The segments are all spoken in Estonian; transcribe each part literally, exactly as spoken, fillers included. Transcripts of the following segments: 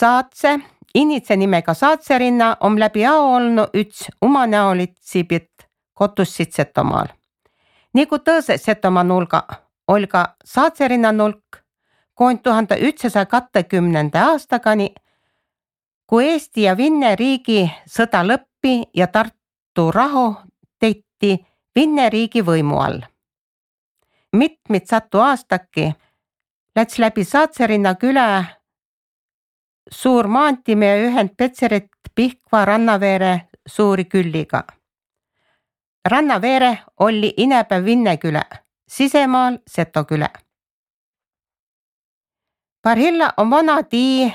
Saatse, initse nimega Saatserinna on läbi ao olnu üts umanäolitsibit kotussit Setomaal. Nigu tõõse Setomaa nulga, oli ka Saatserinna nulk koont tuhande ühtsasaja kahekümnenda aastakani, kui Eesti ja Vinne riigi sõda lõppi ja Tartu rahu teiti Vinne riigi võimu all. Mitmit satu aastaki läts läbi Saatserinna küla suur maantimee ühend Petserit Pihkva Rannaveere suuri külliga. Rannaveere oli inäpäev Vinne külä, sisemaal Seto külä. Parhilla on vana tii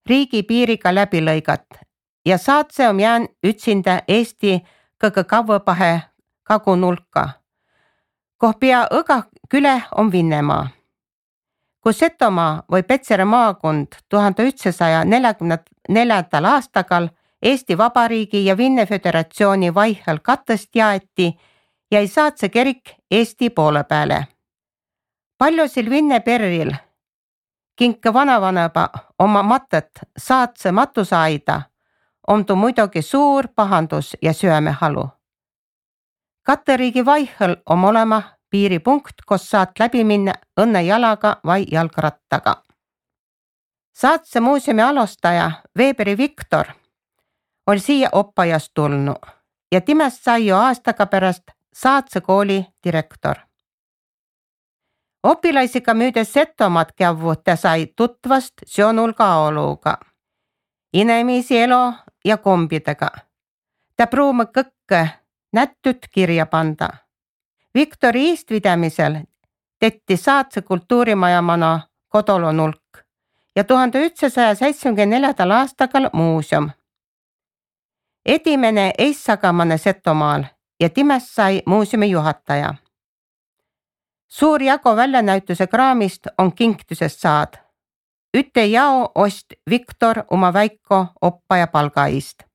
riigi piiriga läbi lõigat ja Saatse on jään ütsinda Eesti kõige kavvõpahe kagunulka, koh pea õga külä on Vinnemaa. Kui Setomaa või Petsere maakond tuhande ühtsasaja neljakümne neljandal aastakal Eesti Vabariigi ja Vinne Föderatsiooni vaihel katest jaeti, jäi Saatse kirik Eesti poole peale. Paljusil Vinne perril kinke vanavanaba oma matet Saatse matusaida on tuu muidugi suur pahandus ja süömehalu. Katte riigi vaihel on olema piiripunkt, kus saad läbi minna õnne jalaga vai jalgrattaga. Saatse muuseumi alustaja Veeberi Viktor oli siia oppajast tulnu ja timest sai jo aastaga pärast Saatse kooli direktor. Opilaisiga müüdes Setomaad kävu ta sai tutvast Sjonulga oluga, inemiisi elu ja kombidega. Ta pruumi kõkke nättyt kirja panda. Viktori iistvidamisel tetti Saatse kultuurimajamana kodolonulk ja tuhande ühtsasaja seitsmekümne neljandal aastakal muuseum. Edimene eissagamane Setomaal ja timest sai muuseumi juhataja. Suur jagu väljanäituse kraamist on kinkitusest saad. Üte jao ost Viktor oma väiko oppaja palga eest.